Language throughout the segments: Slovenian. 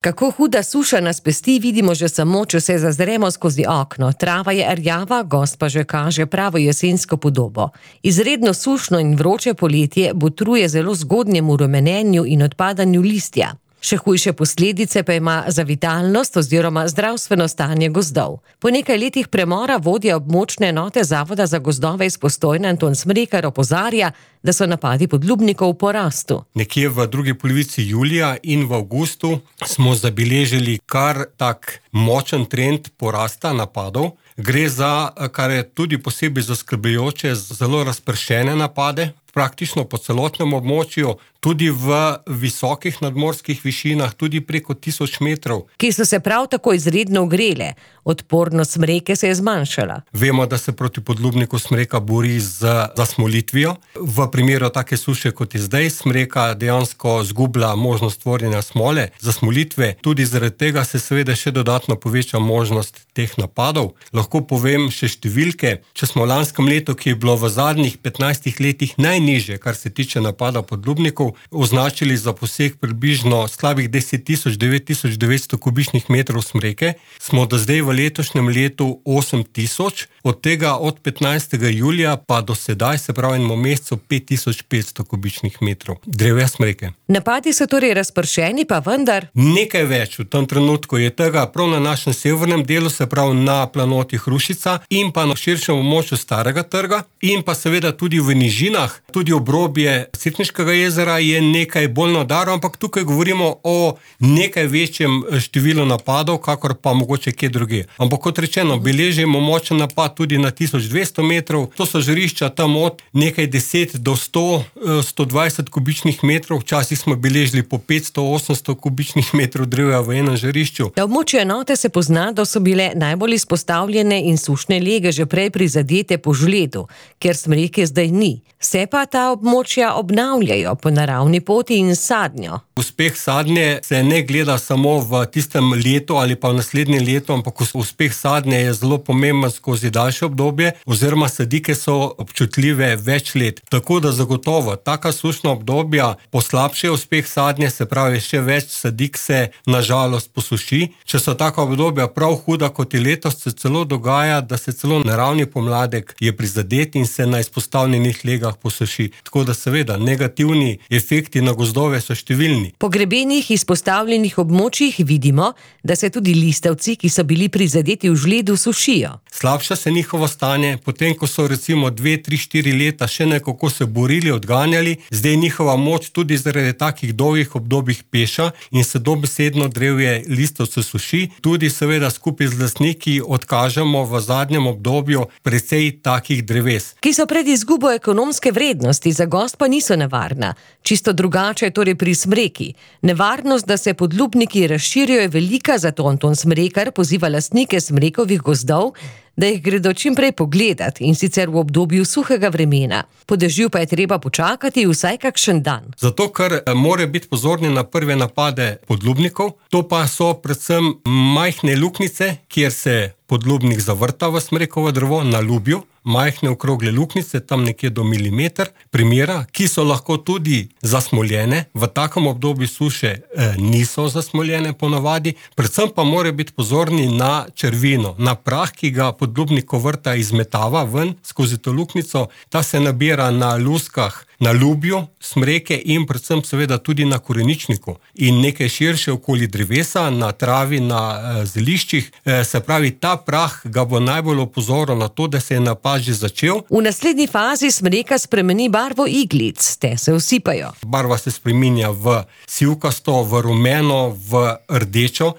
Kako huda suša nas pesti, vidimo že samo, če se zazremo skozi okno. Trava je rjava, gozd pa že kaže pravo jesensko podobo. Izredno sušno in vroče poletje botruje zelo zgodnjemu rumenenju in odpadanju listja. Še hujše posledice pa ima za vitalnost oziroma zdravstveno stanje gozdov. Po nekaj letih premora vodja območne enote Zavoda za gozdove iz Postojne Anton Smrekar opozarja, da so napadi podlubnikov v porastu. Nekje v drugi polovici julija in v avgustu smo zabeležili kar tak močen trend porasta napadov. Gre za, kar je tudi posebej zaskrbljujoče, zelo razpršene napade, praktično po celotnem območju, tudi v visokih nadmorskih višinah, tudi preko 1000 metrov. Ki so se prav tako izredno ogrele, odpornost smreke se je zmanjšala. Vemo, da se proti podlubniku smreka bori z zasmolitvijo. V primeru take suše, kot je zdaj, smreka dejansko zgublja možnost tvorjenja smole, zasmolitve. Tudi zaradi tega se seveda še dodatno poveča možnost teh napadov. Lahko povem še številke. Če smo v lanskem letu, ki je bilo v zadnjih 15 letih najnižje, kar se tiče napada podlubnikov, označili za poseg približno slabih 10.000–9.900 kubičnih metrov smreke, smo do zdaj v letošnjem letu 8.000, od tega od 15. julija pa do sedaj, se pravi enemu mesecu, 5.500 kubičnih metrov drevja smreke. Napadi so torej razpršeni, pa vendar nekaj več v tem trenutku je tega prav na našem severnem delu, se pravi na planoti Hrušica in pa na širšem območju Starega trga in pa seveda tudi v nižinah, tudi obrobje Cerkniškega jezera je nekaj bolj na udaru, ampak tukaj govorimo o nekaj večjem številu napadov, kakor pa mogoče kje druge. Ampak kot rečeno, beležimo močen napad tudi na 1200 metrov, to so žarišča tam od nekaj 10 do 100, 120 kubičnih metrov, včasih smo beležili po 500–800 kubičnih metrov drevja v enem žarišču. Na območju enote se pozna, da so bile najbolj izpostavljene in sušne lege že prej prizadete po žledu, ker smreke zdaj ni. Se pa ta območja obnavljajo po naravni poti in sadnjo. Uspeh sadnje se ne gleda samo v tistem letu ali pa v naslednjem letu, ampak uspeh sadnje je zelo pomemben skozi daljše obdobje, oziroma sadike so občutljive več let. Tako da zagotovo taka sušna obdobja poslabšajo uspeh sadnje, se pravi še več sadik se nažalost posuši. Če so taka obdobja prav huda kot je letos, se celo dogaja, da se celo naravni pomladek je prizadet in se na izpostavljenih legah posuši. Tako da seveda negativni efekti na gozdove so številni. Po grebenih izpostavljenih območjih vidimo, da se tudi listavci, ki so bili prizadeti v žledu, sušijo. Slabša se njihovo stanje, potem ko so recimo 2, 3, 4 leta še nekako se borili, odganjali, zdaj njihova moč tudi zaradi takih dolgih obdobjih peša in se dobesedno drevje listavcev suši. Tudi seveda skupaj z lastniki odkažemo v zadnjem obdobju precej takih dreves. Ki so pred izgubo ekonomske vrednosti, za gozd pa niso nevarna. Čisto drugače je torej pri smreki. Nevarnost, da se podlubniki razširijo, je velika, zato Anton Smrekar poziva lastnike smrekovih gozdov, da jih gredo čim prej pogledat in sicer v obdobju suhega vremena. Po dežju pa je treba počakati vsaj kakšen dan. Zato, ker mora biti pozorni na prve napade podlubnikov, to pa so predvsem majhne luknjice, kjer se podlubnik zavrta v smrekovo drevo na lubju, majhne okrogle luknjice, tam nekje do milimeter primera, ki so lahko tudi zasmoljene. V takem obdobju suše niso zasmoljene ponavadi, predvsem pa mora biti pozorni na črvino, na prah, ki ga podlubnik vrta izmetava ven skozi to luknjico. Ta se nabira na luskah, na lubju smreke in predvsem seveda tudi na koreničniku in nekaj širše okoli drevesa, na travi, na zeliščih. Se pravi, ta prah ga bo najbolj opozoril na to, da se je napad že začel. V naslednji fazi smreka spremeni barvo iglic, te se usipajo. Barva se spreminja v sivkasto, v rumeno, v rdečo.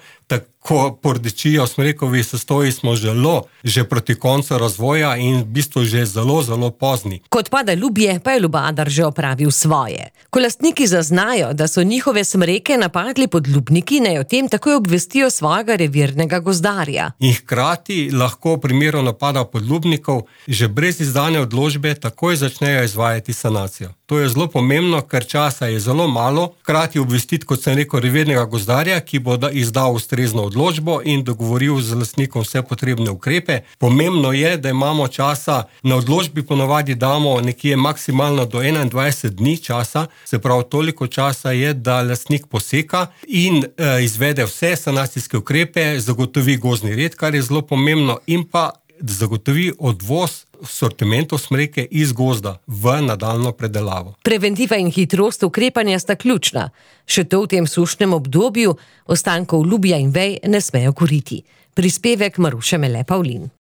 Ko pordečijo smrekovi sestoji smo že proti koncu razvoja in v bistvu že zelo pozni. Kot pada ljubje, pa je ljubadar že opravil svoje. Ko lastniki zaznajo, da so njihove smreke napadli podlubniki, naj o tem takoj obvestijo svojega revirnega gozdarja. In hkrati lahko v primeru napada podlubnikov že brez izdane odločbe takoj začnejo izvajati sanacijo. To je zelo pomembno, ker časa je zelo malo, hkrati obvestiti, kot sem rekel, revirnega gozdarja, ki bo izdal ustrezno odločbo in dogovoril z lastnikom vse potrebne ukrepe. Pomembno je, da imamo časa, na odločbi ponavadi damo nekje maksimalno do 21 dni časa, se pravi toliko časa je, da lastnik poseka in izvede vse sanacijske ukrepe, zagotovi gozdni red, kar je zelo pomembno, in pa zagotovi odvoz sortimentov smreke iz gozda v nadaljnjo predelavo. Preventiva in hitrost ukrepanja sta ključna. Še to v tem sušnem obdobju ostankov lubja in vej ne smejo kuriti. Prispevek Maruše Mele Pavlin.